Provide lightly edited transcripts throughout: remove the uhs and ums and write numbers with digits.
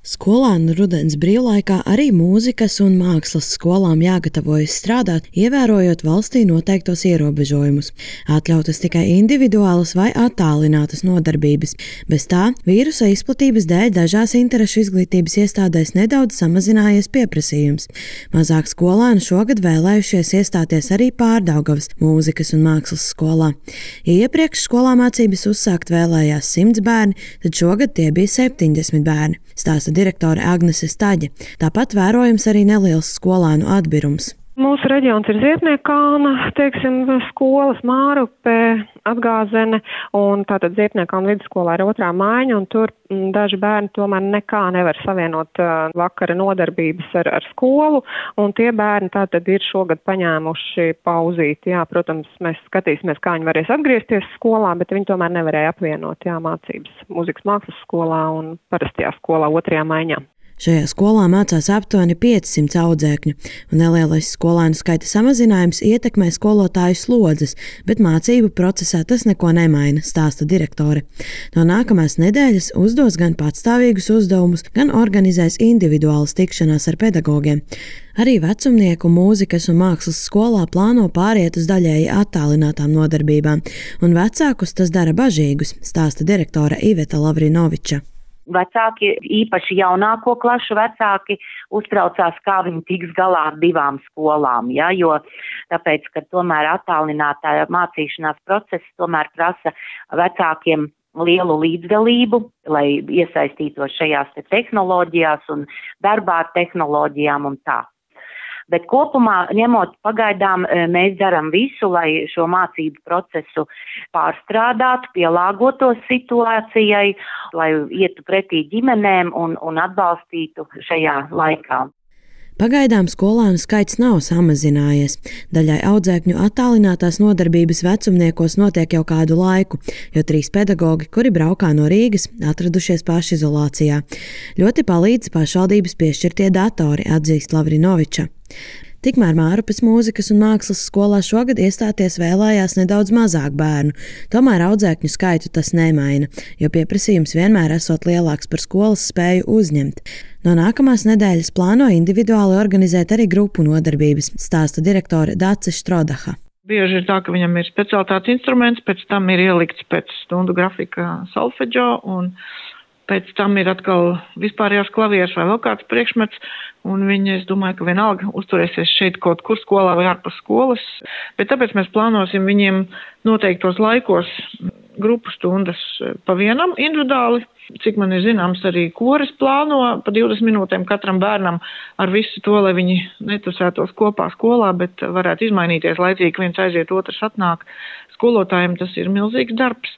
Skolēnu rudens brīvlaikā arī mūzikas un mākslas skolām jāgatavojas strādāt, ievērojot valstī noteiktos ierobežojumus. Atļautas tikai individuālas vai attālinātas nodarbības. Bez tā vīrusa izplatības dēļ dažās interešu izglītības iestādēs nedaudz samazinājies pieprasījums. Mazāk skolēnu šogad vēlējušies iestāties arī Pārdaugavas mūzikas un mākslas skolā. Ja iepriekš skolā mācības uzsākt vēlējās 100 bērni, tad šogad tie bija 70 bērni. Stāsta direktore Agnese Staģe. Tāpat vērojams arī neliels skolēnu atbirums. Mūsu reģions ir Ziepniekkalna, skolas Mārupe, Atgāzene, un tātad Ziepniekkalna vidusskolā ir otrā maiņa, un tur daži bērni tomēr nekā nevar savienot vakara nodarbības ar skolu, un tie bērni tātad ir šogad paņēmuši pauzīti. Jā, protams, mēs skatīsimies, kā viņi varēs atgriezties skolā, bet viņi tomēr nevarēja apvienot mācības mūzikas mākslas skolā un parastajā skolā otrajā maiņā. Šajā skolā mācās aptuveni 500 audzēkņu, un nelielais skolēnu skaita samazinājums ietekmē skolotāju slodzes, bet mācību procesā tas neko nemaina, stāsta direktore. No nākamās nedēļas uzdos gan patstāvīgus uzdevumus, gan organizēs individuālas tikšanās ar pedagogiem. Arī vecumnieku mūzikas un mākslas skolā plāno pāriet uz daļēji attālinātām nodarbībām, un vecākus tas dara bažīgus, stāsta direktore Iveta Lavrinoviča. Vecāki, īpaši jaunāko klašu vecāki, uztraucās, kā viņi tiks galā ar 2 skolām, ja, jo tāpēc, ka tomēr attālinātā mācīšanās process tomēr prasa vecākiem lielu līdzdalību, lai iesaistītos šajās tehnoloģijās un darbā ar tehnoloģijām un tā. Bet kopumā, ņemot pagaidām, mēs darām visu, lai šo mācību procesu pārstrādātu, pielāgotos situācijai, lai ietu pretī ģimenēm un atbalstītu šajā laikā. Pagaidām skolēnu skaits nav samazinājies. Daļai audzēkņu attālinātās nodarbības vecumniekos notiek jau kādu laiku, jo 3 pedagogi, kuri braukā no Rīgas, atradušies pašizolācijā. Ļoti palīdz pašvaldības piešķirtie datori, atzīst Lavrinoviča. Tikmēr Mārupes mūzikas un mākslas skolā šogad iestāties vēlējās nedaudz mazāk bērnu, tomēr audzēkņu skaitu tas nemaina, jo pieprasījums vienmēr esot lielāks par skolas spēju uzņemt. No nākamās nedēļas plāno individuāli organizēt arī grupu nodarbības, stāsta direktore Dace Štrodaha. Bieži ir tā, ka viņam ir specialitātes instruments, pēc tam ir ielikts pēc stundu grafika solfeģo, un pēc tam ir atkal vispārējās klavieres vai vēl kāds priekšmets, un viņi, es domāju, ka vienalga uzturēsies šeit kaut kur skolā vai ārpus skolas, bet tāpēc mēs plānosim viņiem noteiktos laikos grupu stundas pa vienam individuāli. Cik man ir zināms, arī koris plāno pa 20 minūtēm katram bērnam ar visu to, lai viņi netusētos kopā skolā, bet varētu izmainīties laicīgi, viens aiziet, otrs atnāk. Skolotājiem tas ir milzīgs darbs.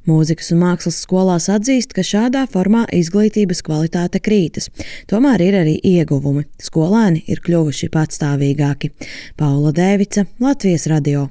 Mūzikas un mākslas skolās atzīst, ka šādā formā izglītības kvalitāte krītas. Tomēr ir arī ieguvumi. Skolēni ir kļuvuši patstāvīgāki. Paula Dēvica, Latvijas radio.